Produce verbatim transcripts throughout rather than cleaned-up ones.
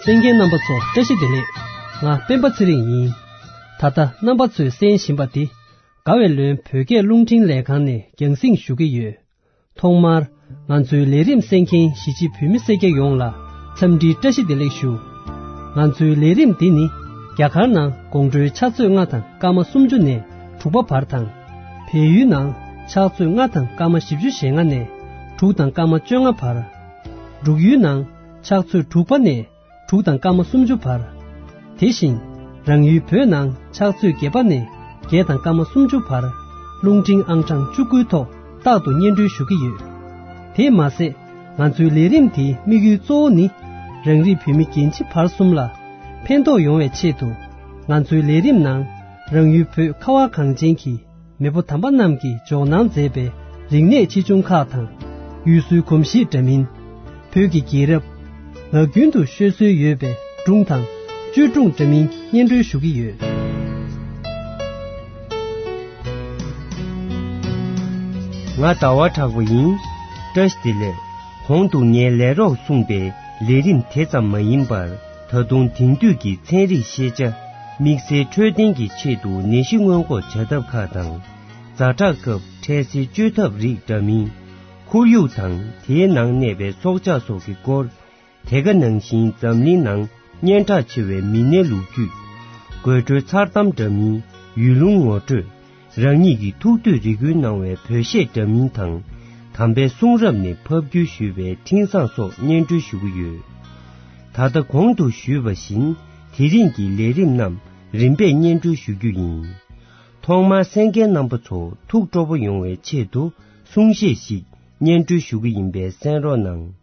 གསན་མཁན་རྣམ་པ་ཚོ་བཀྲ་ཤིས་བདེ་ལེགས། ང་སྤེན་པ་ཚེ་རིང་ཡིན། ད་ལྟ་རྣམ་པ་ཚོས་གསན་བཞིན་པ་འདི་དགའ་བའི་ལོན་བོད་སྐད་རླུང་འཕྲིན་ལས་ཁང་ནས་རྒྱང་སྲིང་ཞུ་གི་ཡོད། ཐོག་མར་ང་ཚོའི་ལས་རིམ་གསན་མཁན་གཞིས་བྱེས་བོད་མི་སེར་སྐྱ་ཡོངས་ལ་འཚམས་འདྲིའི་བཀྲ་ཤིས་བདེ་ལེགས་ཞུ། ང་ཚོའི་ལས་རིམ་འདི་ནི་རྒྱ་གར་ནང་དགོང་དྲོའི་ཕྱག་ཚོད་ལྔ་དང་སྐར་མ་སུམ་ཅུ་ནས་དྲུག་པ་བར་དང་། བལ་ཡུལ་ནང་ཕྱག་ཚོད་ལྔ་དང་སྐར་མ་བཞི་བཅུ་ཞེ་ལྔ་ནས་དྲུག་དང་སྐར་མ་བཅོ་ལྔ་བར། འབྲུག་ཡུལ་ནང་ཕྱག་ཚོད་དྲུག་པ་ནས་དྲུག་དང་སྐར་མ་སུམ་ཅུ་བར། དེ་བཞིན་རང་ཡུལ་བོད་ནང་ཕྱག་ཚོད་བརྒྱད་པ་ནས་བརྒྱད་དང་སྐར་མ་སུམ་ཅུ་བར་རླུང་འཕྲིན་ཨང་གྲངས་བཅུ་དགུའི་ཐོག་རྟག་ཏུ་སྙན་སྒྲོན་ཞུ་གི་ཡོད། དེས་མ་ཟད་ང་ཚོའི་ལས་རིམ་དེའི་དམིགས་ཡུལ་གཙོ་བོ་ནི་རང་རིགས་བོད་མི་རྒན་བྱིས་བར་གསུམ་ལ་ཕན་ཐོགས་ཡོང་བའི་ཆེད་དུ་ང་ཚོའི་ལས་རིམ་ནང་རང་ཡུལ་བོད་ཁ་བ་གངས་ཅན་གྱི་མེས་པོ་དམ་པ་རྣམས་ཀྱིས་འཇོག་གནང་མཛད་པའི་རིག་གནས་ཆེ་ཆུང་ཁག་དང་། ཡུལ་སྲོལ་གོམས་གཤིས་འདྲ་མིན། བོད་ཀྱི་རྒྱལ་རབས། ངག་རྒྱུན་དུ་ཤོད་སྲོལ་ཡོད་པའི་སྒྲུང་དང་བཅོས་སྒྲུང་འདྲ་མིན་སྙན་སྒྲོན་ཞུ་གི་ཡོད། ང་ཟླ་བ་གྲགས་པ་ཡིན། བཀྲ་ཤིས་བདེ་ལེགས། གོང་དུ་ངས་ལས་རོགས་གསུངས་པའི་ལས་རིམ་དེ་ཙམ་མ་ཡིན་པར། ད་དུང་དེང་དུས་ཀྱི་ཚན་རིག་ཤེས་བྱ། དམིགས་བསལ་འཕྲོད་བསྟེན་གྱི་ཆེད་དུ་ནད་གཞི་སྔོན་འགོག་བྱ་ཐབས་ཁག་དང་། ཛ་དྲག་སྐབས་འཕྲལ་སེལ་བཅོས་ཐབས་རིགས་འདྲ་མིན། ཁོར་ཡུག་དང་དེའི་ནང་གནས་པའི་སྲོག་ཆགས་སོགས་ཀྱི་སྐོར། དེ་ག་ནང་བཞིན་འཛམ་གླིང་ནང་སྙན་གྲགས་ཆེ་བའི་མི་སྣའི་ལོ་རྒྱུས། དགོད་བྲོའི་མཚར་གཏམ་འདྲ་མིན། ཡུལ་ལུང་ངོ་སྤྲོད། རང་ཉིད་ཀྱི་ཐུགས་འདོད་རེ་སྐུལ་གནང་བའི་བོད་གཞས་འདྲ་མིན་དང་། དམ་པའི་གསུང་རབ་ནས་ཕབ་བསྒྱུར་ཞུས་པའི་འཕྲིན་བཟང་སོགས་སྙན་སྒྲོན་ཞུ་གི་ཡོད། ད་ལྟ་གོང་དུ་ཞུས་པ་བཞིན་དེ་རིང་གི་ལས་རིམ་རྣམས་རིམ་པས་སྙན་སྒྲོན་ཞུ་རྒྱུ་ཡིན། ཐོག་མར་གསན་མཁན་རྣམ་པ་ཚོ་ཐུགས་སྤྲོ་པོ་ཡོང་བའི་ཆེད་དུ་གསུང་བཤད་ཞིག་སྙན་སྒྲོན་ཞུ་གི་ཡིན་པས་གསན་རོགས་གནང་།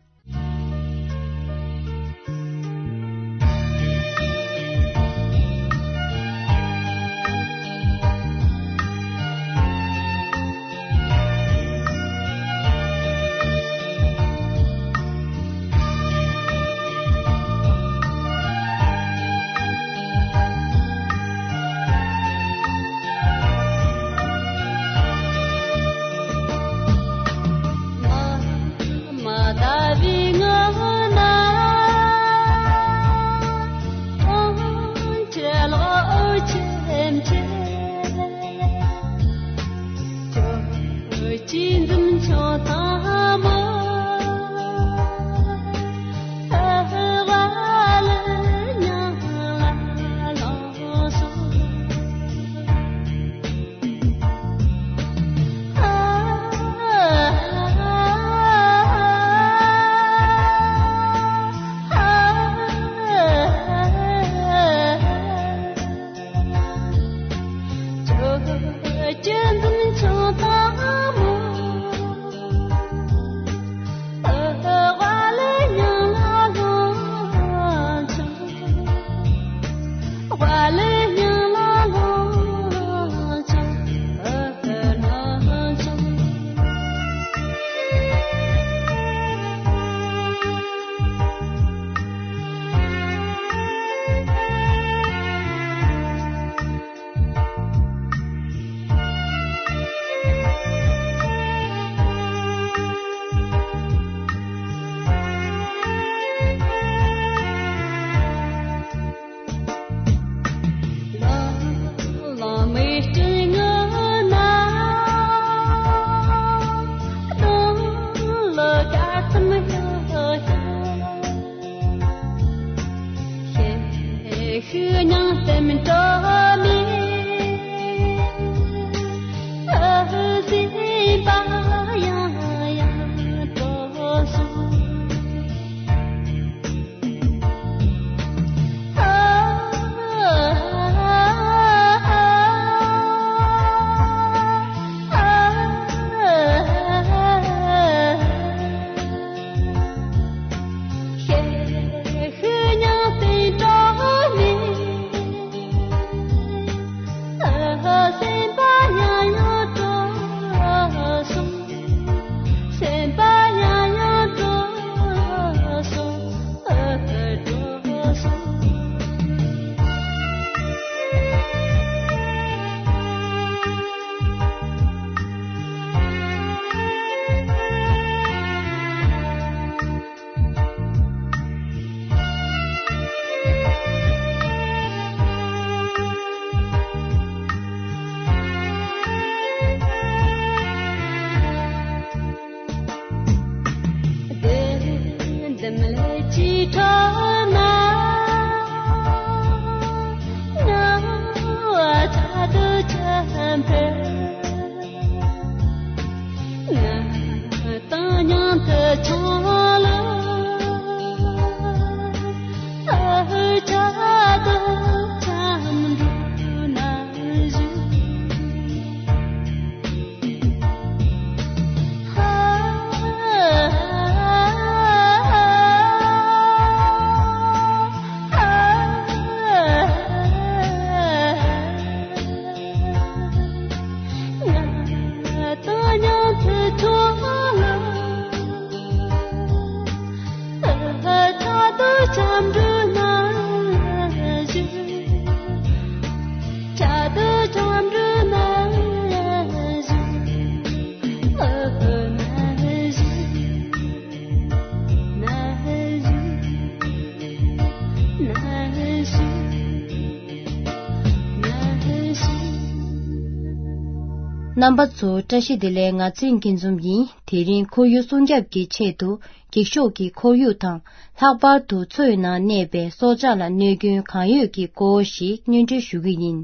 རྣམ་པ་ཚོ་བཀྲ་ཤིས་བདེ་ལེགས། ང་ཚེ་རིང་སྐྱིད་འཛོམས་ཡིན། དེ་རིང་ཁོར་ཡུག་སྲུང་སྐྱོབ་ཀྱི་ཆེད་དུ་འགྱིག་ཤོག་གི་ཁོར་ཡུག་དང་། ལྷག་པར་དུ་མཚོའི་ནང་གནས་པའི་སྲོག་ཆགས་ལ་གནོད་སྐྱོན་གང་ཡོད་ཀྱི་སྐོར་ཞིག་སྙན་སྒྲོན་ཞུ་གི་ཡིན།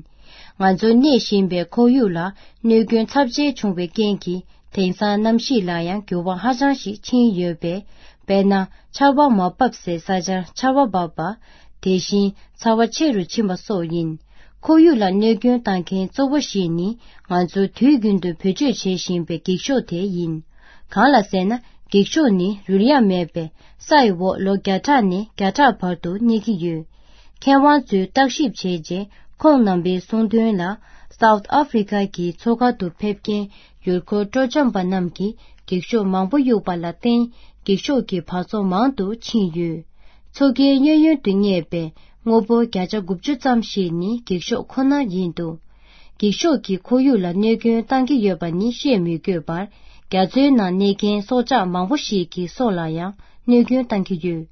ང་ཚོ་གནས་བཞིན་པའི་ཁོར་ཡུག་ལ་གནོད་སྐྱོན་ཚབས་ཆེ་བྱུང་བའི་རྐྱེན་གྱིས། དེང་སང་གནམ་གཤིས་ལ་ཡང་འགྱུར་བ་ཧ་ཅང་ཞིག་ཕྱིན་ཡོད་པས། དཔེར་ན། ཆར་པ་མ་བབས་སའི་ས་ཆར་ཆར་པ་བབས་པ། དེ་བཞིན་ཚ་བ་ཆེ་རུ་ཕྱིན་པ་སོགས་ཡིན། ཁོར་ཡུག་ལ་གནོད་སྐྱོན་བཏང་མཁན་གཙོ་བོ་ཞིག་ནི། ང་ཚོ་དུས་རྒྱུན་དུ་བེད་སྤྱོད་བྱེད་བཞིན་པའི་འགྱིག་ཤོག་དེ་ཡིན། གང་ལ་ཟེར་ན། འགྱིག་ཤོག་ནི་རུལ་ཡ་མེད་པས། ས་ཡི་འོག་ལོ་བརྒྱ་ཕྲག་ནས་བརྒྱ་ཕྲག་བར་དུ་གནས་ཀྱི་ཡོད། མཁས་དབང་ཚོས་བརྟག་ཞིབ་བྱས་རྗེས། ཁོང་རྣམ་པའི་གསུང་དོན་ལ། South Africa གི་མཚོ་ཁ་དུ་ཕེབས་མཁན་ཡུལ་སྐོར་སྤྲོ་འཆམ་པ་རྣམས་ཀྱིས་འགྱིག་ཤོག་མང་པོ་གཡུགས་པ་ལ་བརྟེན། འགྱིག་ཤོག་གི་བག་ཚོ་མང་དུ་ཕྱིན་ཡོད། མཚོ་ཁའི་གཡས་གཡོན་དུ་གནས་པའི་དངོས་པོ་བརྒྱ་ཆ་དགུ་བཅུ་ཙམ་ཞིག་ནི་འགྱིག་ཤོག་ཁོ་ན་ཡིན་འདུག། འགྱིག་ཤོག་གིས་ཁོར་ཡུག་ལ་གནོད་སྐྱོན་བཏང་གི་ཡོད་པ་ནི་བཤད་མི་དགོས་པར། རྒྱ་མཚོའི་ནང་གནས་མཁན་སྲོག་ཆགས་མང་པོ་ཞིག་གི་སྲོག་ལ་ཡང་གནོད་སྐྱོན་བཏང་གི་ཡོད།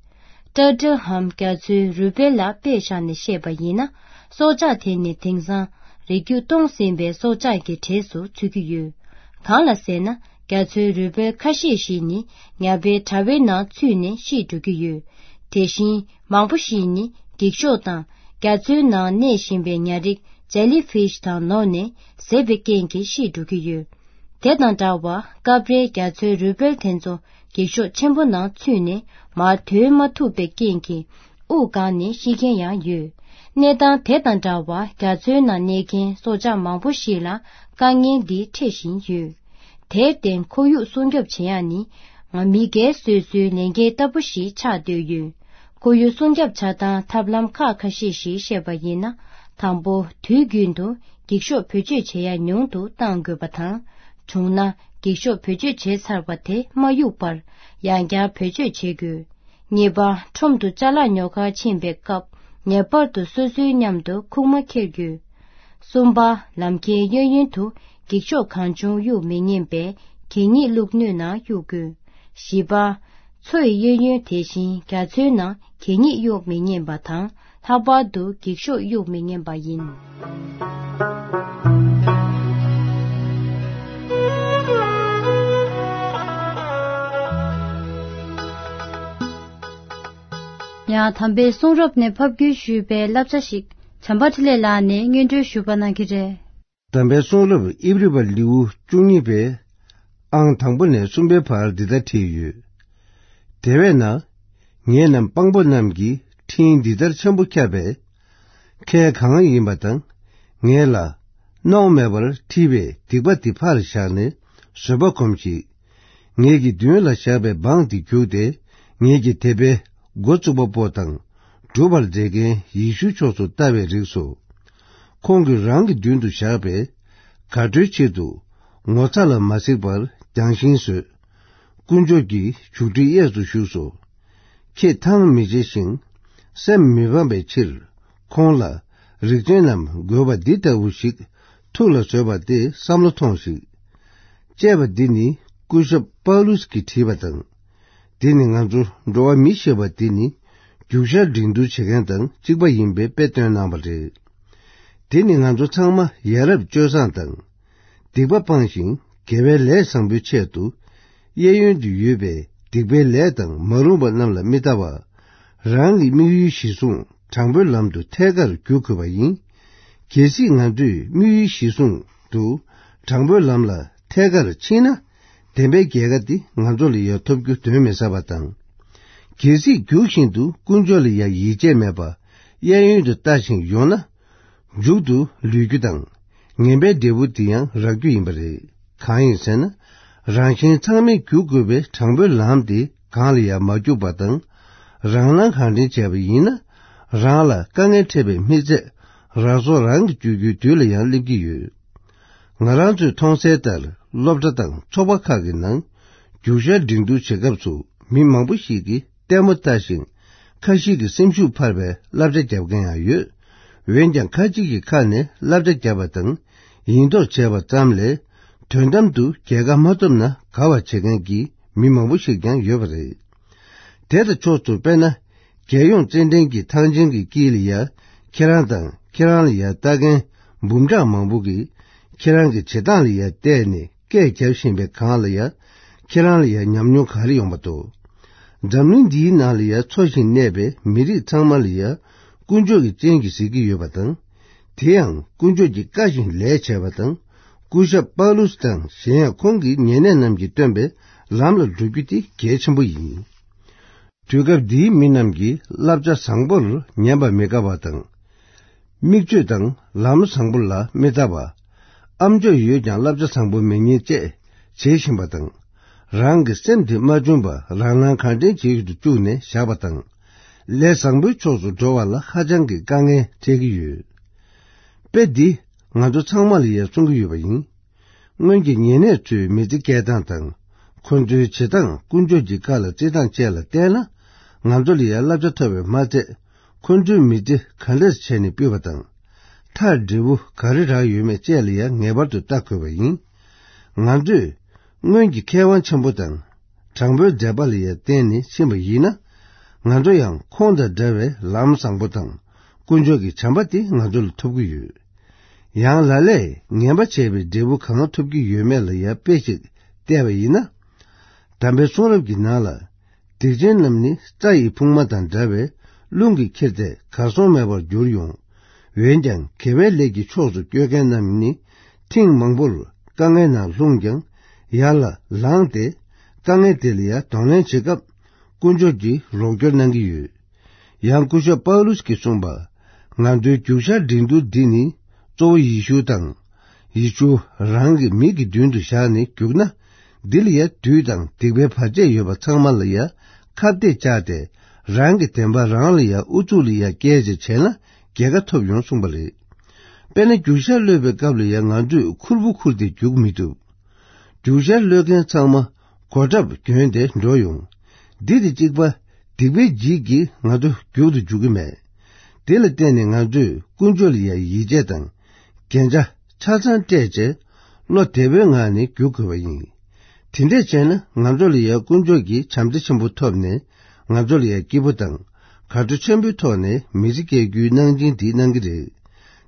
ཀྲ་ཀྲ་ཧམ་རྒྱ་མཚོའི་རུས་སྦལ་ལ་དཔེ་བཞག་ནས་བཤད་པ་ཡིན་ན། སྲོག་ཆགས་དེ་ནི་དེང་སང་རིགས་རྒྱུད་སྟོངས་ཟིན་པའི་སྲོག་ཆགས་ཀྱི་གྲས་སུ་ཚུད་ཀྱི་ཡོད། གང་ལ་ཟེར་ན། རྒྱ་མཚོའི་རུས་སྦལ་ཁ་ཤས་ཤིག་ནི་ཉ་པའི་དྲ་བའི་ནང་ཚུད་ནས་ཤི་འགྲོ་གི་ཡོད། དེ་བཞིན་མང་པོ་ཞིག་ནི་འགྱིག་ཤོག་དང་། རྒྱ་མཚོའི་ནང་གནས་བཞིན་པའི་ཉ་རིགས་Jellyfish དང་ནོར་ནས་ཟད་པའི་རྐྱེན་གྱིས་ཤི་འགྲོ་གི་ཡོད། དེ་དང་འདྲ་བར་སྐབས་རེ་རྒྱ་མཚོའི་རུས་སྦལ་དེ་ཚོ་འགྱིག་ཤོག་ཆེན་པོ་ནང་ཚུད་ནས་མར་དོན་མ་ཐུབ་པའི་རྐྱེན་གྱིས་དབུགས་འགག་ནས་ཤི་མཁན་ཡང་ཡོད། གནས་སྟངས་དེ་དང་འདྲ་བར་རྒྱ་མཚོའི་ནང་གནས་མཁན་སྲོག་ཆགས་མང་པོ་ཞིག་ལ་དཀའ་ངལ་འདི་འཕྲད་བཞིན་ཡོད། དེར་བརྟེན་ཁོར་ཡུག་སྲུང་སྐྱོབ་བྱེད་ཡག་ནི་ང་མི་སྒེར་སོ་སོའི་ལས་འགན་ལྟ་བུ་ཞིག་ཆགས་བསྡད་ཡོད། ཁོར་ཡུག་སྲུང་སྐྱོབ་བྱ་སྟངས་ཐབས་ལམ་ཁག་ཁ་ཤས་ཤིག་བཤད་པ་ཡིན་ན། དང་པོ། དུས་རྒྱུན་དུ་འགྱིག་ཤོག་བེད་སྤྱོད་བྱེད་ཡ་ཉུང་དུ་གཏང་དགོས་པ་དང་། བྱུང་ན་འགྱིག་ཤོག་བེད་སྤྱོད་བྱས་ཚར་བ་དེ་མ་གཡུག་པར་ཡང་བསྐྱར་བེད་སྤྱོད་བྱེད་དགོས། གཉིས་པ། ཁྲོམ་དུ་ཅ་ལག་ཉོ་གར་ཕྱིན་པའི་སྐབས་ངེས་པར་དུ་སོ་སོའི་མཉམ་དུ་ཁུག་མ་འཁྱེར་དགོས། གསུམ་པ། ལམ་ཁའི་གཡས་གཡོན་དུ་འགྱིག་ཤོག་གང་བྱུང་གཡུག་མི་ཉན་པས་གད་སྙིགས་བླུགས་སྣོད་ནང་གཡུག་དགོས། བཞི་པ། མཚོ་ཡི་གཡས་གཡོན་དེ་བཞིན་རྒྱ་མཚོའི་ནང་གད་སྙིགས་གཡུག་མི་ཉན་པ་དང་། ལྷག་པར་དུ་འགྱིག་ཤོག་གཡུག་མི་ཉན་པ་ཡིན། ཡང་དམ་པའི་གསུང་རབ་ནས་ཕབ་བསྒྱུར་ཞུས་པའི་བསླབ་བྱ་ཞིག་བྱམས་པ་འཕྲིན་ལས་ལགས་ནས་སྙན་སྒྲོན་ཞུ་བ་གནང་གི་རེད། དམ་པའི་གསུང་རབ་ཨིབ་རི་པ་ལེའུ་བཅུ་གཉིས་པའི་ཨང་དང་པོ་ནས་གསུམ་པའི་བར་འདི་ལྟར་བྲིས་ཡོད། དེ་བས་ན། ངེད་རྣམས་དཔང་པོ་རྣམས་ཀྱི་འཕྲིན་འདི་ལྟར་ཆེན་པོ་ཁྱབ་པས། ཁྱེད་གང་ཡིན་པ་དང་། ངེད་ལ་སྣང་མེད་པར་འཁྲི་བའི་སྡིག་པ་འདི་ཕར་བཞག་ནས་བཟོད་པ་སྒོམས་ཤིག། ངེད་ཀྱི་མདུན་ལ་བཞག་པའི་འབངས་འདི་རྒྱུགས་ཏེ། ངེད་ཀྱི་དད་པའི་འགོ་བཙུགས་པ་པོ་དང་། སྒྲུབ་པར་མཛད་མཁན་ཡེ་ཤུ་ཕྱོགས་སུ་ལྟ་བའི་རིགས་སོ། ཁོང་གིས་རང་གི་མདུན་དུ་བཞག་པའི་དགའ་སྤྲོའི་ཆེད་དུ་ངོ་ཚ་ལ་མ་གཟིགས་པར་རྒྱང་ཤིང་བཟོས། དཀོན་མཆོག་གི་བྱུག་ཁྲིའི་གཡས་སུ་བཞུགས་སོ། ཁྱེད་ཐང་མི་བྱེད་ཞིང་སེམས་མི་ཕམ་པའི་ཕྱིར། ཁོང་ལ་རིག་ཅན་རྣམས་དགོས་པ་འདི་ལྟ་བུ་ཞིག་ཐུགས་ལ་བཟོད་པ་སྟེ་བསམ་བློ་ཐོངས་ཤིག། ཅེས་པ་འདི་ནི་སྐུ་ཞབས་པཱ་ལུས་ཀྱིས་བྲིས་པ་དང་། འདི་ནི་ང་ཚོ་འགྲོ་བ་མི་ཞེས་པ་འདི་ནི་རྒྱུ་ཤར་འབྲིང་བསྡུར་བྱེད་མཁན་དང་གཅིག་པ་ཡིན་པའི་དཔེ་སྟོན་གནང་བ་རེད། འདི་ནི་ང་ཚོ་ཚང་མ་ཡ་རབས་སྤྱོད་བཟང་དང་། སྡིག་པ་སྤངས་ཤིང་དགེ་བའི་ལས་བཟང་པོའི་ཆེད་དུ། གཡས་གཡོན་དུ་ཡོད་པའི་ སྡིག་པའི་ལས་དང་མ་རུངས་པ་རྣམས་ལ་མི་ལྟ་བར། རང་གི་དམིགས་ཡུལ་གཞིར་བཟུང་དྲང་པོའི་ལམ་དུ་ཐད་ཀར་བརྒྱུད་དགོས་པ་ཡིན། གལ་སྲིད་ང་ཚོས་དམིགས་ཡུལ་གཞིར་བཟུང་དུ་དྲང་པོའི་ལམ་ལ་ཐད་ཀར་ཕྱིན་ན། བདེན་པའི་རྒྱལ་ཁ་འདི་ང་ཚོ་ལ་ཡང་ཐོབ་རྒྱུ་གདོན་མི་ཟ་བ་དང་། གལ་སྲིད་རྒྱུགས་བཞིན་དུ་དཀོན་མཆོག་ལ་ཡང་ཡིད་ཆེས་མེད་པར་གཡས་གཡོན་དུ་ལྟ་ཞིང་ཡོང་ན། མཇུག་ཏུ་ལུས་རྒྱུ་དང་། ངན་པའི་འབྲས་བུ་འདི་ཡང་རག་རྒྱུ་ཡིན་པ་རེད། གང་ཡིན་ཟེར་ན། རང་གཞན་ཚང་མས་རྒྱུག་དགོས་པའི་དྲང་པོའི་ལམ་དེ་གང་ལ་ཡང་མ་རྒྱུག་པ་དང་། རང་སྣང་གང་དྲན་བྱས་པ་ཡིན་ན། རང་ལ་དཀའ་ངལ་འཕྲད་པའི་མི་ཚད། རང་སྲོག་རང་གིས་གཅོད་རྒྱུའི་དུས་ལ་ཡང་སླེབས་ཀྱི་ཡོད། ང་རང་ཚོས་མཐོང་གསལ་ལྟར། སློབ་གྲྭ་དང་ཚོགས་པ་ཁག་གི་ནང་རྒྱུགས་ཤར་འགྲན་བསྡུར་བྱེད་སྐབས་སུ། མི་མང་པོ་ཞིག་གིས་ལྟད་མོ་ལྟ་ཞིང་། ཁ་ཞིག་གིས་སེམས་ཤུགས་འཕར་བའི་བསླབ་བྱ་བརྒྱབ་མཁན་ཡང་ཡོད། འོན་ཀྱང་། ཁ་ཅིག་གི་ཁ་ནས་བསླབ་བྱ་བརྒྱབ་པ་དང་། ཡིན་མདོག་བྱས་པ་ཙམ་ལས། དོན་དམ་དུ་རྒྱལ་ཁ་མ་ཐོབ་ན་དགའ་བ་བྱེད་མཁན་གྱི་མི་མང་པོ་ཞིག་ཀྱང་ཡོད་པ་རེད། དེ་དང་ཕྱོགས་སུ། དཔེར་ན། རྒྱལ་ཡོངས་རྩེད་འགྲན་གྱི་ཐང་ཆེན་གྱི་དཀྱིལ་ལ་ཡ། ཁྱེད་རང་དང་ཁྱེད་རང་ལ་ཡ་ལྟ་མཁན་འབུམ་ཕྲག་མང་པོ་གིས། ཁྱེད་རང་གི་བྱེད་སྟངས་ལ་ཡ་བལྟས་ནས་སྐད་རྒྱབ་བཞིན་པའི་སྒང་ལ་ཡ། ཁྱེད་རང་ལ་ཡ་ཉམས་མྱོང་ག་རེ་ཡོང་པ་འདུག་འཛམ་གླིང་འདིའི་ནང་ལ་ཡ་འཚོ་ཞིང་གནས་པའི་མི་རིགས་ཚང་མ་ལ་ཡ། དཀོན་མཆོག་གི་སྤྱན་གྱིས་གཟིགས་ཀྱི་ཡོད་པ་དང་། དེ་ཡང་དཀོན་མཆོག་གི་བཀའ་བཞིན་ལས་བྱས་པ་དང་། སྐུ་ཞབས་པཱ་ལུས་དང་གཞན་ཡང་ཁོང་གི་ཉེ་གནས་རྣམས་ཀྱིས་སྟོན་པའི་ལམ་ལ་འགྲོ་རྒྱུ་དེ་གལ་ཆེན་པོ་ཡིན། དུས་སྐབས་འདིའི་མི་རྣམས་ཀྱིས་བསླབ་བྱ་བཟང་པོར་ཉན་པ་མི་དགའ་བ་དང་། མིག་ཆོས་དང་ལམ་བཟང་པོ་ལ་མི་ལྟ་བ། ཨ་མཆོག་ཡོད་ཀྱང་བསླབ་བྱ་བཟང་པོ་མི་ཉན་བཅས་བྱེད་བཞིན་པ་དང་། རང་གི་སེམས་དེ་མ་བཅོམ་པར་རང་སྣང་གང་དྲན་བྱེད་དུ་བཅུག་ནས་བཞག་པ་དང་། ལས་བཟང་པོའི་ཕྱོགས་སུ་འགྲོ་བ་ལ་ཧ་ཅང་གི་དཀའ་ངལ་འཕྲད་ཀྱི་ཡོད། དཔེ་འདི་ང་ཚོ་ཚང་མ་ལ་ཡང་གསུང་གི་ཡོད་པ་ཡིན། སྔོན་གྱི་ཉེ་གནས་ཚོའི་མི་ཚེ་སྐྱེལ་སྟངས་དང་། ཁོ་ཚོའི་བྱེད་སྟངས་དཀོན་མཆོག་གི་བཀའ་ལ་བརྩི་སྟངས་བཅས་ལ་བལྟས་ན། ང་ཚོ་ལ་ཡང་བསླབ་བྱ་ཐོབ་པས་མ་ཚད། ཁོ་ཚོའི་མི་ཚེ་ག་འདྲས་བྱས་ནས་སྤུད་པ་དང་། མཐར་འབྲས་བུ་ག་རེ་རག་ཡོད་མེད་བཅས་ལ་ཡང་ངེས་པར་དུ་བལྟ་དགོས་པ་ཡིན། ང་ཚོས་སྔོན་གྱི་མཁས་དབང་ཆེན་པོ་དང་། དྲང་པོའི་མཛད་པ་ལ་ཡང་བརྟེན་ནས་ཕྱིན་པ་ཡིན་ན། ང་ཚོ་ཡང་ཁོང་དང་འདྲ་བའི་ལམ་བཟང་པོ་དང་། དཀོན་མཆོག་གི་བྱམས་པ་དེ་ང་ཚོ་ལ་ཐོབ་ཀྱི་ཡོད། ཡང་ལ་ལས་ངན་པ་བྱས་པའི་འབྲས་བུ་གང་ཐོབ་ཀྱི་ཡོད་མེད་ལ་ཡང་དཔེ་ཞིག་བལྟས་པ་ཡིན་ན། དམ་པའི་གསུང་རབ་ཀྱི་ནང་ལ། སྡིག་ཅན་རྣམས་ནི་རྩྭ་ཡི་ཕུང་མ་དང་འདྲ་བས་རླུང་གིས་ཁྱེར་ཏེ་གར་སོང་མེད་པར་འགྱུར་ཡོང་། འོན་ཀྱང་དགེ་བའི་ལས་ཀྱི་ཕྱོགས་སུ་བསྐྱོད་མཁན་རྣམས་ནི་ཐེངས་མང་པོར་དཀའ་ངལ་ནང་ལྷུང་ཀྱང་ཡར་ལ་ལངས་ཏེ་དཀའ་ངལ་དེ་ལ་ཡང་གདོང་ལེན་བྱེད་སྐབས་དཀོན་མཆོག་གིས་རོགས་སྐྱོར་གནང་གི་ཡོད། ཡང་སྐུ་ཞབས་པའུ་ལུས་ཀྱིས་གསུངས་པ། ང་ཚོའི་རྒྱུགས་ཤར་འགྲན་བསྡུར་འདི་ནི་གཙོ་བོ་ཡེ་ཤུ་དང་། ཡེ་ཤུ་རང་གི་མིག་གི་མདུན་དུ་བཞག་ནས་རྒྱུགས་ན། འདི་ལ་ཡང་བདུད་དང་སྡིག་པའི་བར་ཆད་ཡོད་པ་ཚང་མ་ལ་ཡང་ཁ་གཏད་བཅག་སྟེ། རང་གི་བདེན་པ་རང་ལ་ཡང་ཨུ་ཚུགས་ལ་ཡང་བསྐྱལ་བྱས་བྱས་ན་རྒྱལ་ཁ་ཐོབ་ཡོང་གསུངས་པ་རེད། དཔེར་ན་རྒྱུགས་ཤར་གློད་པའི་སྐབས་ལ་ཡང་ང་ཚོས་ཁུར་པོ་ཁུར་ཏེ་རྒྱུག་མི་ཐུབ། རྒྱུགས་ཤར་གློད་མཁན་ཚང་མ་གོ་ཁྲབ་གྱོན་ཏེ་འགྲོ་ཡོང་། འདི་དང་གཅིག་པ། སྡིག་པའི་འཇིགས་ཀྱིས་ང་ཚོ་རྒྱུག་ཏུ་འཇུག་གི་མེད། དེ་ལ་བརྟེན་ནས་ང་ཚོས་དཀོན་མཆོག་ལ་ཡང་ཡིད་ཆེས་དང་། རྒྱན་ཆ་ཆ་ཚང་སྤྲས་བྱས། བློ་བདེ་པོའི་ངང་ནས་རྒྱུག་དགོས་པ་ཡིན། དེ་འདྲས་བྱས་ན་ང་ཚོ་ལ་ཡང་དཀོན་མཆོག་གི་བྱམས་བརྩེ་ཆེན་པོ་ཐོབ་ནས། ང་ཚོ་ལ་ཡང་སྐྱིད་པོ་དང་། དགའ་སྤྲོ་ཆེན་པོའི་ཐོག་ནས་མི་ཚེ་སྐྱེལ་རྒྱུའི་གནང་སྦྱིན་འདི་གནང་གི་རེད།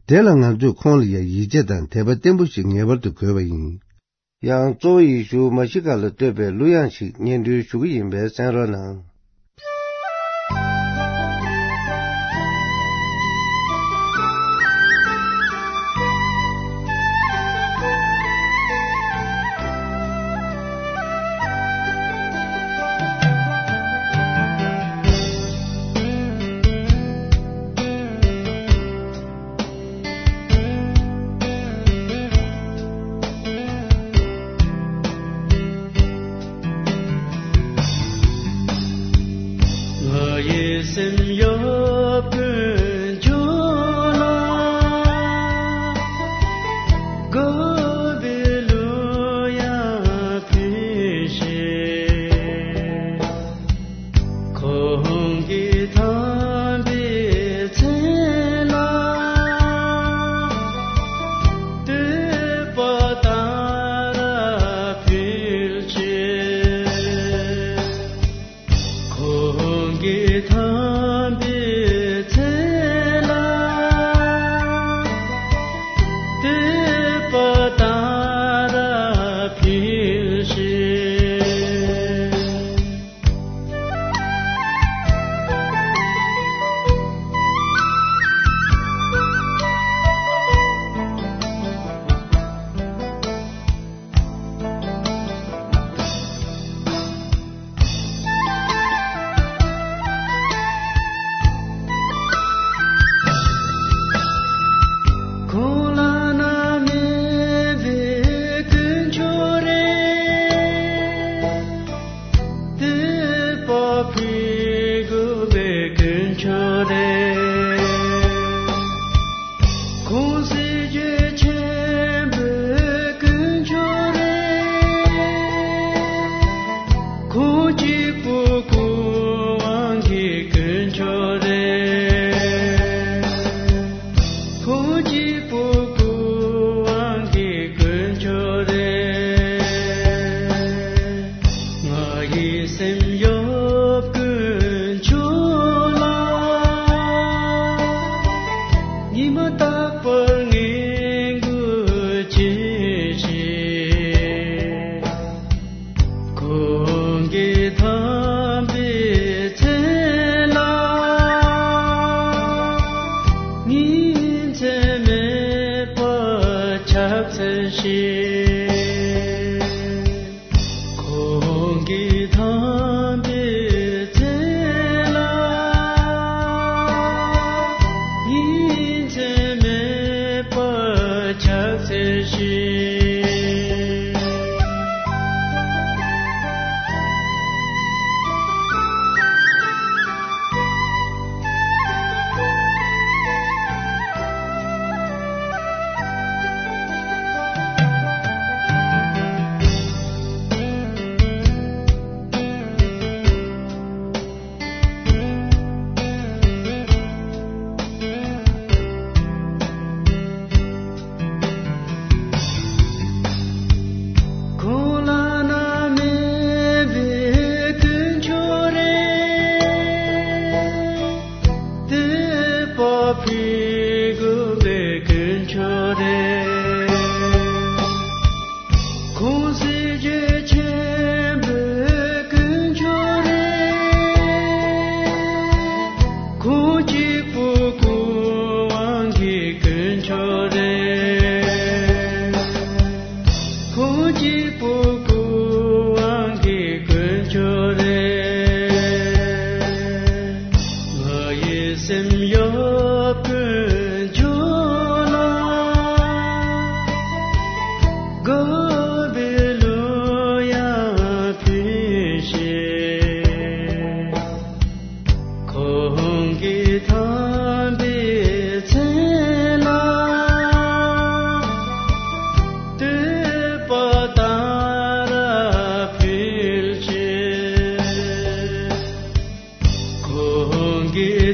དེ་ལ་ང་ཚོས་ཁོང་ལ་ཡང་ཡིད་ཆེས་དང་དད་པ་བརྟན་པོ་ཞིག་ངེས་པར་དུ་དགོས་པ་ཡིན། ཡང་གཙོ་བོ་ཡེ་ཤུ་མཱ་ཤི་ཀ་ལ་བསྟོད་པའི་གླུ་དབྱངས་ཤིག་སྙན་སྒྲོན་ཞུ་གི་ཡིན་པས་གསན་རོགས་གནང་། ང་ཡི་སེམས་གཡོ་བའི་ཁྱོད་ལ། དགའ་བའི་གླུ་དབྱངས་ཕུལ་ཞིང་། ཁོང་གི་དམ་པའི་མཚན་ལ་བསྟོད་པ་དང་རབ་ཕུལ་ཕྱིར། ཁོང་གི་དམ་པའི་མཚན་ལ་བསྟོད་པ་དང་རབ་ཕུལ་ཕྱིར།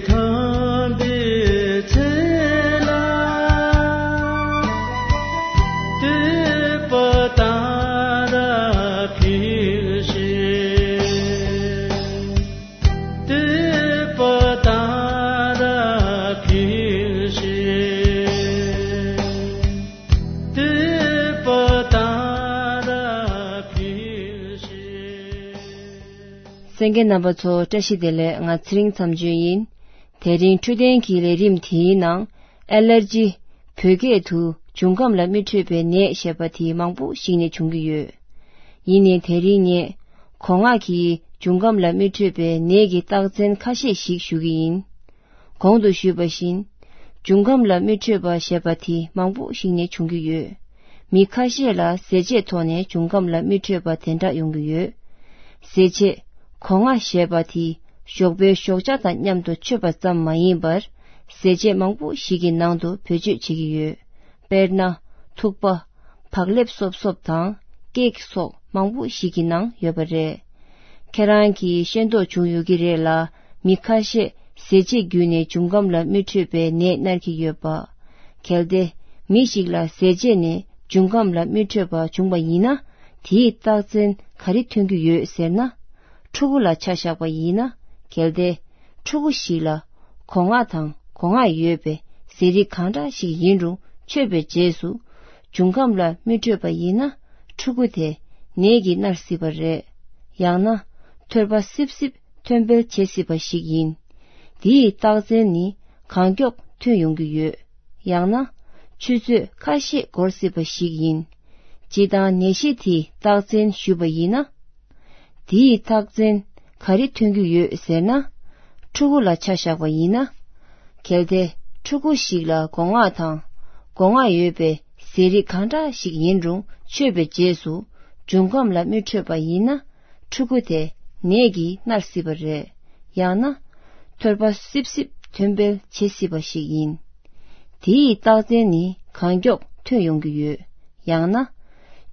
ཐོན་པའི་ཚེ་ལ། བསྟོད་པ་དང་རབ་འཕེལ་ཞིང་། བསྟོད་པ་དང་རབ་འཕེལ་ཞིང་། བསྟོད་པ་དང་རབ་འཕེལ་ཞིང་། གསན་མཁན་རྣམ་པ་ཚོ་བཀྲ་ཤིས་བདེ་ལེགས། ང་ཚེ་རིང་མཚམས་གཅོད་ཡིན། དེ་རིང་འཕྲོད་བསྟེན་གྱི་ལས་རིམ་དེའི་ནང་ཨེ་ལར་ཇི། བོད་སྐད་དུ་འབྱུང་ཁམས་ལ་མི་འཕྲོད་པའི་ནད་ཞེས་པ་དེ་མང་པོ་ཞིག་ནས་བྱུང་གི་ཡོད། ཡིན་ནའི་དེ་རིང་ངས་གོ་ལྔ་གི་འབྱུང་ཁམས་ལ་མི་འཕྲོད་པའི་ནད་ཀྱི་རྟགས་མཚན་ཁ་ཤས་ཤིག་ཞུ་གི་ཡིན། གོང་དུ་ཞུས་པ་བཞིན། འབྱུང་ཁམས་ལ་མི་འཕྲོད་པ་ཞེས་པ་དེ་མང་པོ་ཞིག་ནས་བྱུང་གི་ཡོད། མི་ཁ་ཤས་ལ་ཟས་བཅད་ཐོག་ནས་འབྱུང་ཁམས་ལ་མི་འཕྲོད་པ་དེ་འདྲ་ཡོང་གི་ཡོད། ཟས་བཅད། གོ་ལྔ་ཞེས་པ་དེ་ཞོགས་པའི་ཞོགས་ཇ་དང་མཉམ་དུ་མཆོད་པ་ཙམ་མ་ཡིན་པར། ཟས་བཅད་མང་པོ་ཞིག་གི་ནང་དུ་བེད་སྤྱོད་བྱེད་ཀྱི་ཡོད། དཔེར་ན། ཐུག་པ། བག་ལེབ་སོབ་སོབ་དང་ཀེག་སོགས་མང་པོ་ཞིག་གི་ནང་ཡོད་པ་རེད། ཁྱེད་རང་གིས་ཤེས་རྟོགས་བྱུང་ཡོད་ཀྱི་རེད་ལ། མི་ཁ་ཤས་ཟས་བཅད་བརྒྱུད་ནས་འབྱུང་ཁམས་ལ་མི་འཕྲོད་པའི་ནད་མནར་གྱི་ཡོད་པ། གལ་ཏེ་མི་ཞིག་ལ་ཟས་བཅད་ནས་འབྱུང་ཁམས་ལ་མི་འཕྲོད་པ་བྱུང་བ་ཡིན་ན། དེའི་རྟགས་མཚན་ག་རེ་ཐོན་གྱི་ཡོད་ཟེར་ན། ཕྲུ་གུ་ལ་ཆ་བཞག་པ་ཡིན་ན། གལ་ཏེ་ཕྲུ་གུ་ཞིག་ལ་གོ་ལྔ་དང་གོ་ལྔ་ཡོད་པའི་ཟས་རིགས་གང་འདྲ་ཞིག་ཡིན་རུང་མཆོད་པའི་རྗེས་སུ་འབྱུང་ཁམས་ལ་མི་འཕྲོད་པ་ཡིན་ན། ཕྲུ་གུ་དེ་ནད་ཀྱིས་མནར་སྲིད་པ་རེད། ཡང་ན་ཐོར་པ་སིབ་སིབ་ཐོན་འཕེལ་བྱེད་སྲིད་པ་ཞིག་ཡིན། འདིའི་རྟགས་མཚན་ནི་གང་མགྱོགས་ཐོན་ཡོང་གི་ཡོད། ཡང་ན་ཆུ་ཚོད་ཁ་ཤས་འགོར་སྲིད་པ་ཞིག་ཡིན། སྤྱིར་བཏང་ནད་གཞི་དེའི་རྟགས་མཚན་ཞུས་པ་ཡིན་ན། དེའི་རྟགས་མཚན་ག་རེ་ཐོན་གྱི་ཡོད་ཟེར་ན། ཕྲུ་གུ་ལ་ཆ་བཞག་པ་ཡིན་ན། གལ་ཏེ་ཕྲུ་གུ་ཞིག་ལ་སྒོ་ང་དང་སྒོ་ང་ཡོད་པའི་ཟས་རིགས་གང་འདྲ་ཞིག་ཡིན་རུང་མཆོད་པའི་རྗེས་སུ་འབྱུང་ཁམས་ལ་མི་འཕྲོད་པ་ཡིན་ན། ཕྲུ་གུ་དེ་ནད་ཀྱིས་མནར་སྲིད་པ་རེད། ཡང་ན་ཐོར་པ་སིབ་སིབ་ཐོན་འཕེལ་བྱེད་སྲིད་པ་ཞིག་ཡིན། དེའི་རྟགས་མཚན་ནི་གང་མགྱོགས་ཐོན་ཡོང་གི་ཡོད། ཡང་ན་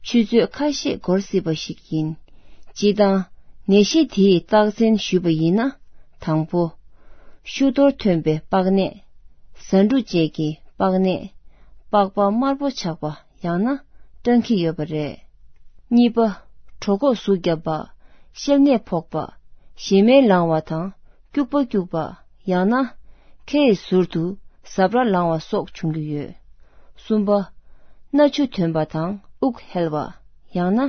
ཆུ་ཚོད་ཁ་ཤས་འགོར་སྲིད་པ་ཞིག་ཡིན། སྤྱིར་བཏང་ནད་གཞི་དེའི་རྟགས་མཚན་ཞུས་པ་ཡིན་ན། དང་པོ། ཤུགས་གཏོར་ཐོན་པའི་པགས་ནད། ཟ་འབྲུ་བཅས་ཀྱི་པགས་ནད། པགས་པ་དམར་པོ་ཆགས་པ་ཡང་ན་སྐྲངས་ཀྱི་ཡོད་པ་རེད། གཉིས་པ། གྲོད་ཁོག་ཟུག་བརྒྱབ་པ། བཤལ་ནད་ཕོག་པ། ཞེ་མེར་ལངས་པ་དང་སྐྱུག་པ་སྐྱུག་པ། ཡང་ན་ཁའི་ཟུར་དུ་ཟབ་ར་ལངས་པ་སོགས་བྱུང་གི་ཡོད། གསུམ་པ། སྣ་ཆུ་ཐོན་པ་དང་དབུགས་ཧལ་བ། ཡང་ན་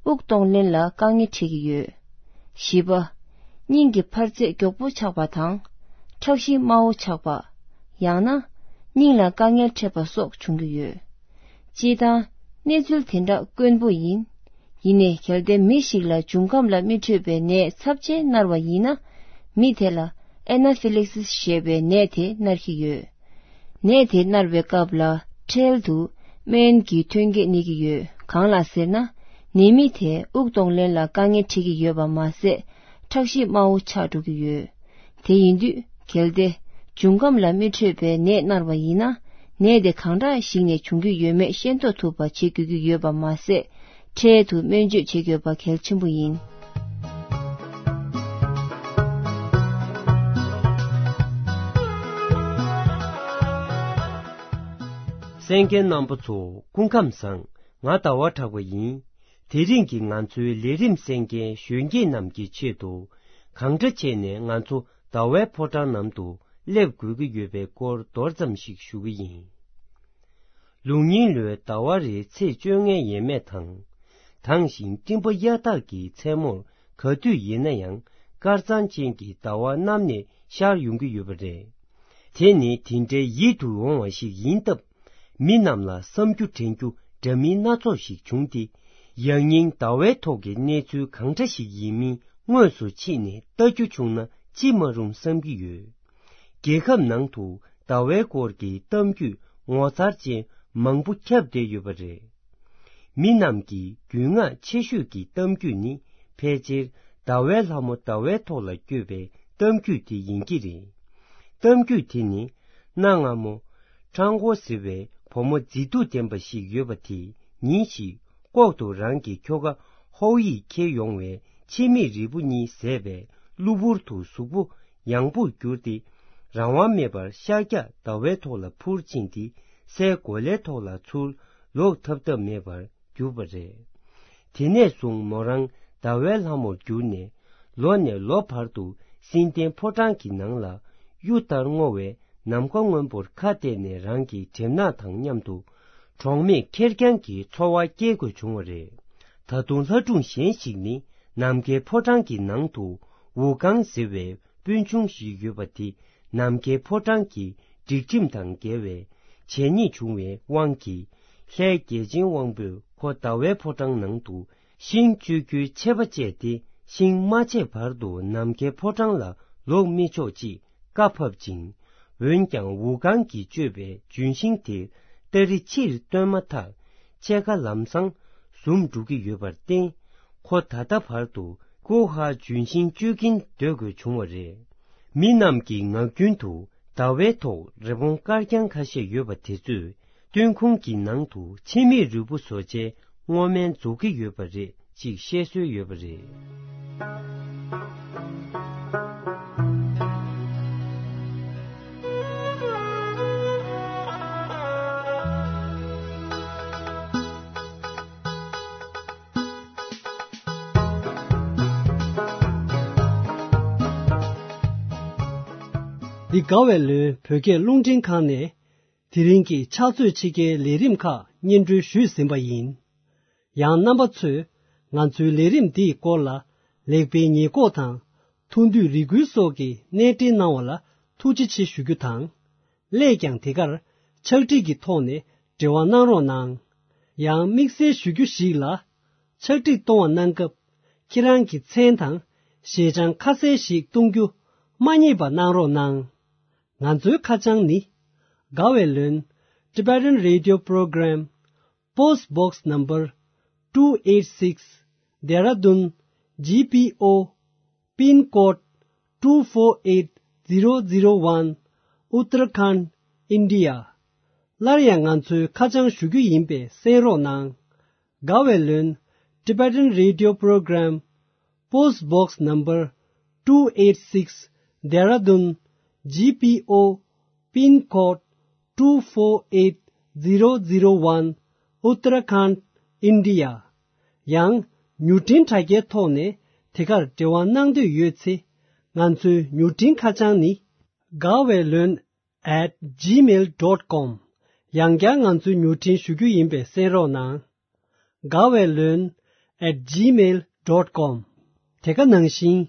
དབུགས་གཏོང་ལེན་ལ་དཀའ་ངལ་འཕྲད་ཀྱི་ཡོད། བཞི་པ། སྙིང་གི་འཕར་ཚད་མགྱོགས་པོ་ཆགས་པ་དང་། ཁྲག་ཤེད་དམའ་བོ་ཆགས་པ། ཡང་ན་སྙིང་ལ་དཀའ་ངལ་འཕྲད་པ་སོགས་བྱུང་གི་ཡོད། སྤྱིར་བཏང་གནས་ཚུལ་དེ་འདྲ་དཀོན་པོ་ཡིན། ཡིན་ནའི་གལ་ཏེ་མི་ཞིག་ལ་འབྱུང་ཁམས་ལ་མི་འཕྲོད་པའི་ནད་ཚབས་ཆེན་མནར་བ་ཡིན་ན། མི་དེ་ལ་ཨེ་ན་ཕི་ལེག་སིས་ཞེས་པའི་ནད་དེ་མནར་གྱི་ཡོད། ནད་དེ་མནར་བའི་སྐབས་ལ་འཕྲལ་དུ་སྨན་གྱི་ཐོན་སྐྱེད་གནས་ཀྱི་ཡོད། གང་ལ་ཟེར་ན། ནད་མི་དེ་དབུགས་གཏོང་ལེན་ལ་དཀའ་ངལ་འཕྲད་ཀྱི་ཡོད་པ་མ་ཟད། ཁྲག་ཤེད་དམའ་བོ་ཆགས་འགྲོ་གི་ཡོད། དེ་ཡིན་དུས་གལ་ཏེ་འབྱུང་ཁམས་ལ་མི་འཕྲོད་པའི་ནད་མནར་བ་ཡིན་ན། ནད་དེ་གང་འདྲ་ཞིག་ནས་བྱུང་གི་ཡོད་མེད་ཤེས་རྟོགས་ཐུབ་པ་བྱེད་དགོས་ཀྱི་ཡོད་པ་མ་ཟད། འཕྲལ་དུ་སྨན་བཅོས་བྱེད་དགོས་པ་གལ་ཆེན་པོ་ཡིན། གསན་མཁན་རྣམ་པ་ཚོ་སྐུ་ཁམས་བཟང་། ང་ཟླ་བ་གྲགས་པ་ཡིན། དེ་རིང་གི་ང་ཚོའི་ལས་རིམ་གསན་མཁན་གཞོན་སྐྱེས་རྣམས་ཀྱི་ཆེད་དུ། གང་འདྲ་བྱས་ནས་ང་ཚོ་ཟླ་བའི་ཕོ་བྲང་ནང་དུ་སླེབས་དགོས་ཀྱི་ཡོད་པའི་སྐོར་མདོར་ཙམ་ཞིག་ཞུ་གི་ཡིན། ལུགས་རྙིང་ལོའི་ཟླ་བ་རེའི་ཚེས་བཅོ་ལྔའི་ཡས་མས་དང་། དྭངས་ཤིང་སྤྲིན་པ་གཡའ་དག་གི་མཚན་མོར་ག་དུས་ཡིན་ན་ཡང་དཀར་གཙང་ཅན་གྱི་ཟླ་བ་གནམ་ནས་ཤར་ཡོང་གི་ཡོད་པ་རེད། དེ་ནི་དེ་འདྲའི་ཡིད་དུ་འོང་བ་ཞིག་ཡིན་སྟབས། མི་རྣམས་ལ་བསམ་རྒྱུ་དྲན་རྒྱུ་འདྲ་མིན་སྣ་ཚོགས་ཤིག་བྱུང་སྟེ། ཡང་སྙིང་ཟླ་བའི་ཐོག་གི་གནས་ཚུལ་གང་འདྲ་ཞིག་ཡིན་མིན་དངོས་སུ་ཕྱིན་ནས་ལྟ་རྒྱུ་བྱུང་ན་ཅི་མ་རུང་བསམ་གྱི་ཡོད། རྒྱལ་ཁབ་ནང་དུ་ཟླ་བའི་སྐོར་གྱི་གཏམ་རྒྱུད་ངོ་མཚར་ཅན་མང་པོ་ཁྱབ་བསྡད་ཡོད་པ་རེད། མི་རྣམས་ཀྱི་རྒྱུས་མངའ་ཆེ་ཤོས་ཀྱི་གཏམ་རྒྱུད་ནི་ཕལ་ཆེར་ཟླ་བའི་ལྷ་མོ་ཟླ་བའི་ཐོག་ལ་བསྐྱོད་པའི་གཏམ་རྒྱུད་དེ་ཡིན་གྱི་རེད། གཏམ་རྒྱུད་དེ་ནི་གནའ་སྔ་མོ་ཁྲང་ཀོ་ཟེར་བའི་བུ་མོ་མཛེས་སྡུག་ལྡན་པ་ཞིག་ཡོད་པ་དེ་ཉིན་ཞིག་ལྐོག་ཏུ་རང་གི་ཁྱོ་ག་ཧོའུ་ཡིས་འཁྱེར་ཡོང་བའི་ཕྱེ་མིག་རིལ་བུ་གཉིས་བཟས་པས་གློ་བུར་དུ་གཟུགས་པོ་ཡང་པོར་གྱུར་ཏེ། རང་དབང་མེད་པར་ཤར་རྒྱག་ཟླ་བའི་ཐོག་ལ་འཕུར་ཕྱིན་ཏེ། སའི་གོ་ལའི་ཐོག་ལ་ཚུར་ལོག་ཐབས་ཐབས་མེད་པར་གྱུར་པ་རེད། དེ་ནས་བཟུང་མོ་རང་ཟླ་བའི་ལྷ་མོར་གྱུར་ནས། ལོ་ནས་ལོ་བར་དུ་བསིལ་ལྡན་ཕོ་བྲང་གི་ནང་ལ་གཡུ་ལྟར་སྔོ་བའི་ནམ་མཁའ་སྔོན་པོར་ཁ་གཏད་ནས་རང་གི་གྲིབ་ནག་དང་མཉམ་དུ་གྲོགས་མེད་ཁེར་རྐྱང་གི་འཚོ་བ་སྐྱེལ་དགོས་བྱུང་བ་རེད། ད་དུང་ལྷ་སྒྲུང་གཞན་ཞིག་ནི། ནམ་མཁའི་ཕོ་བྲང་གི་ནང་དུ་ཝུ་ཀང་ཟེར་བའི་སྤུན་ཆུང་ཞིག་ཡོད་པ་དེ། ནམ་མཁའི་ཕོ་བྲང་གི་སྒྲིག་ཁྲིམས་དང་འགལ་བའི་བྱས་ཉེས་བྱུང་བའི་དབང་གིས། ལྷའི་རྒྱལ་ཆེན་དབང་པོས་ཁོ་ཟླ་བའི་ཕོ་བྲང་ནང་དུ་ཤིང་གཅོད་རྒྱུའི་ཆད་པ་བཅད་དེ། ཤིང་མ་ཆད་བར་དུ་ནམ་མཁའི་ཕོ་བྲང་ལ་ལོག་མི་ཆོག་ཅེས་བཀའ་ཕབ་ཅིང་། འོན་ཀྱང་ཝུ་ཀང་གིས་གཅོད་པའི་ལྗོན་ཤིང་དེར་སྟ་རེ་ཕྱིར་བཏོན་མ་ཐག་ཕྱེད་ཀ་ལམ་སང་ཟུམ་འགྲོ་གི་ཡོད་པར་བརྟེན། ཁོ་ད་ལྟ་བར་དུ་ཀོ་ཧ་ལྗོན་ཤིང་གཅོད་ཀྱིན་སྡོད་དགོས་བྱུང་བ་རེད། མི་རྣམས་ཀྱི་ངག་རྒྱུན་དུ་ཟླ་བའི་ཐོག་རི་བོང་དཀར་རྐྱང་ཁ་ཤས་ཡོད་པ་དེ་ཚོས་སྟོན་ཁུང་གི་ནང་དུ་ཕྱེ་མེར་རིལ་བུ་བཟོ་བྱའི་སྔོ་སྨན་རྫོགས་ཀྱི་ཡོད་པ་རེད་ཅེས་བཤད་སྲོལ་ཡོད་པ་རེད། འདི་དགའ་བའི་ལོན་བོད་སྐད་རླུང་འཕྲིན་ཁང་ནས་དེ་རིང་གི་ཕྱག་ཚོད་ཕྱེད་ཀའི་ལས་རིམ་ཁག་སྙན་སྒྲོན་ཞུས་ཟིན་པ་ཡིན། ཡང་རྣམ་པ་ཚོས་ང་ཚོའི་ལས་རིམ་འདིའི་སྐོར་ལ་ལེགས་སྤེལ་ཉེས་འགོག་དང་ཐུགས་འདོད་རེ་སྐུལ་སོགས་ཀྱི་གནས་འབྲེལ་གནང་བ་ལ་ཐུགས་རྗེ་ཆེ་ཞུ་རྒྱུ་དང་། སླད་ཀྱང་དེ་གར་ཕྱག་བྲིས་ཀྱི་ཐོག་ནས་འབྲེལ་བ་གནང་རོགས་གནང་། ཡང་དམིགས་བསལ་ཞུ་རྒྱུ་ཞིག་ལ། ཕྱག་བྲིས་གཏོང་བ་གནང་སྐབས་ཁྱེད་རང་གི་མཚན་དང་ཞལ་བྱང་ཁ་གསལ་ཞིག་གཏོང་རྒྱུ་མ་བསྙེལ་བ་གནང་རོགས་གནང་། ང་ཚོའི་ཁ་བྱང་ནི། དགའ་བའི་ལོན། Tibetan Radio Program, Post Box Number two eight six, Dehradun G P O, Pin Code two four eight zero zero one, Uttarakhand, India. སླར་ཡང་ང་ཚོའི་ཁ་བྱང་ཞུ་རྒྱུ་ཡིན་པས་གསན་རོགས་གནང་། དགའ་བའི་ལོན། Tibetan Radio Program, Post Box Number two eight six, Dehradun G P O, Pin Code two four eight zero zero one, Uttarakhand, India. ཡང་མྱུར་འཕྲིན་དྲ་རྒྱའི་ཐོག་ནས་དེ་གར་འབྲེལ་བ་གནང་འདོད་ཡོད་ཚེ། ང་ཚོའི་མྱུར་འཕྲིན་ཁ་བྱང་ནི། དགའ་བའི་ལོན། at gmail dot com། ཡང་བསྐྱར་ང་ཚོའི་མྱུར་འཕྲིན་ཞུ་རྒྱུ་ཡིན་པས་གསན་རོགས་གནང་། དགའ་བའི་ལོན། at gmail dot com། དེ་ག་ནང་བཞིན།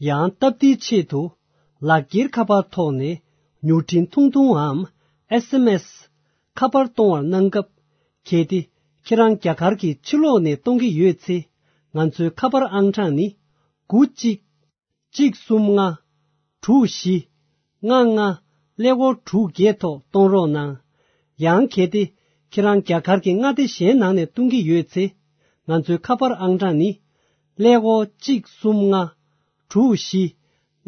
ཡང་སྟབས་བདེའི་ཆེད་དུ། ལག་འཁྱེར་ཁ་པར་ཐོག་ནས་མྱུར་འཕྲིན་ཐུང་ཐུང་འམ། S M S། ཁ་པར་གཏོང་བར་གནང་སྐབས། གལ་ཏེ་ཁྱེད་རང་རྒྱ་གར་གྱི་ཕྱི་ལོགས་ནས་གཏོང་གི་ཡོད་ཚེ། ང་ཚོའི་ཁ་པར་ཨང་གྲངས་ནི། དགུ་གཅིག་གཅིག་གསུམ་ལྔ། དྲུག་བཞི། ལྔ་ལྔ། ཀླད་ཀོར་དྲུག་བརྒྱད་ཐོག་གཏོང་རོགས་གནང་། ཡང་གལ་ཏེ་ཁྱེད་རང་རྒྱ་གར་གྱི་མངའ་སྡེ་གཞན་ནང་ནས་གཏོང་གི་ཡོད་ཚེ། ང་ཚོའི་ཁ་པར་ཨང་གྲངས་ནི། ཀླད་ཀོར་གཅིག་གསུམ་ལྔ། དྲུག་བཞི།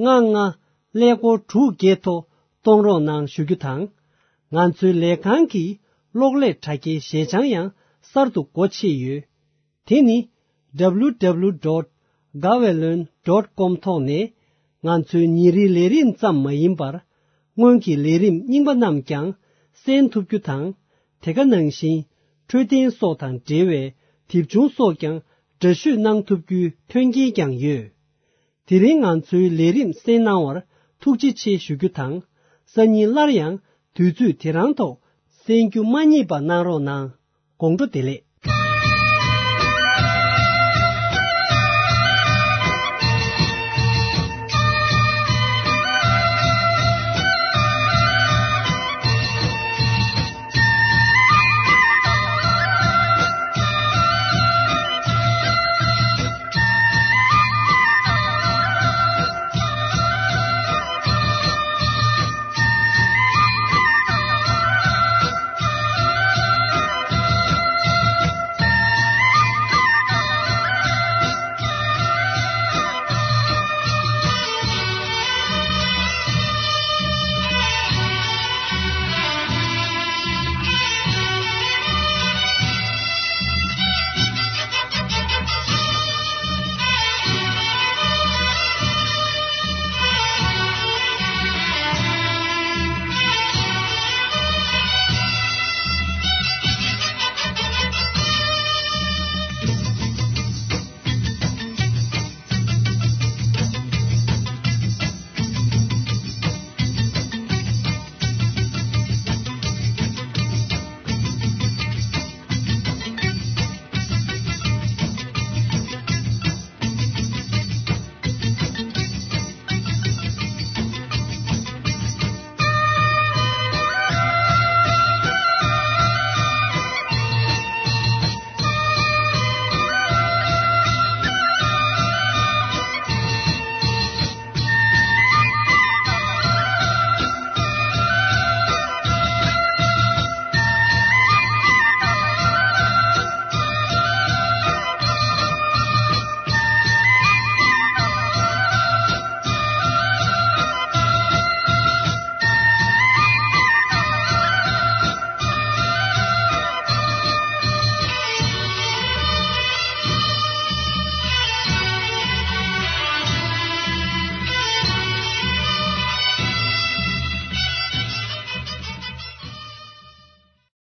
ལྔ་ལྔ། ཀླད་ཀོར་དྲུག་བརྒྱད་ཐོག་གཏོང་རོགས་གནང་ཞུ་རྒྱུ་དང་། ང་ཚོའི་ལས་ཁང་གི་གློག་ཀླད་དྲ་རྒྱའི་ཞལ་བྱང་ཡང་གསར་དུ་སྒོ་ཕྱེ་ཡོད། དེ་ནི། W W W dot gaweylon dot com ཐོག་ནས་ང་ཚོའི་ཉིན་རེའི་ལས་རིམ་ཙམ་མ་ཡིན་པར། སྔོན་གྱི་ལས་རིམ་རྙིང་པ་རྣམས་ཀྱང་གསན་ཐུབ་རྒྱུ་དང་། དེ་ག་ནང་བཞིན་འཕྲོད་བསྟེན་སོགས་དང་འབྲེལ་བའི་དེབ་ཆུང་སོགས་ཀྱང་འདྲ་བཤུས་གནང་ཐུབ་རྒྱུའི་མཐུན་རྐྱེན་ཀྱང་ཡོད། དེ་རིང་ང་ཚོའི་ལས་རིམ་གསན་གནང་བར་ཐུགས་རྗེ་ཆེ་ཞུ་རྒྱུ་དང་། སང་ཉིན་སླར་ཡང་དུས་ཚོད་དེ་རང་ཐོག་གསན་རྒྱུ་མ་བསྙེལ་བ་གནང་རོགས་གནང་། དགོང་དྲོ་བདེ་ལེགས།